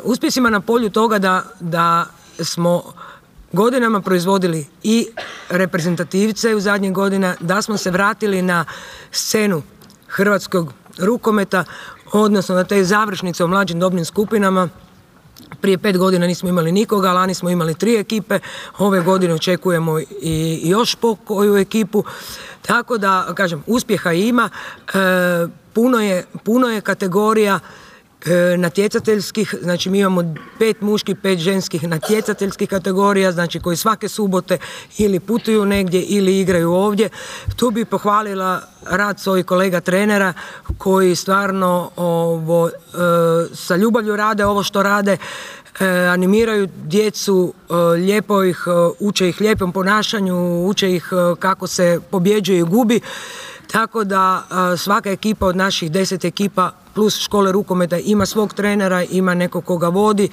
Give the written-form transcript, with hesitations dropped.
uspjesima na polju toga da smo godinama proizvodili i reprezentativce u zadnjih godina, da smo se vratili na scenu hrvatskog rukometa, odnosno na te završnice u mlađim dobnim skupinama. Prije 5 godina nismo imali nikoga, lani smo imali 3 ekipe, ove godine očekujemo i još po koju ekipu. Tako da, kažem, uspjeha ima, puno je kategorija natjecateljskih, znači mi imamo 5 muških, 5 ženskih natjecateljskih kategorija, znači koji svake subote ili putuju negdje ili igraju ovdje. Tu bi pohvalila rad svojih kolega trenera koji stvarno sa ljubavlju rade ovo što rade, animiraju djecu, lijepo ih, uče ih lijepom ponašanju, uče ih kako se pobjeđuje i gubi. Tako da svaka ekipa od naših 10 ekipa plus škole rukometa ima svog trenera, ima nekog koga vodi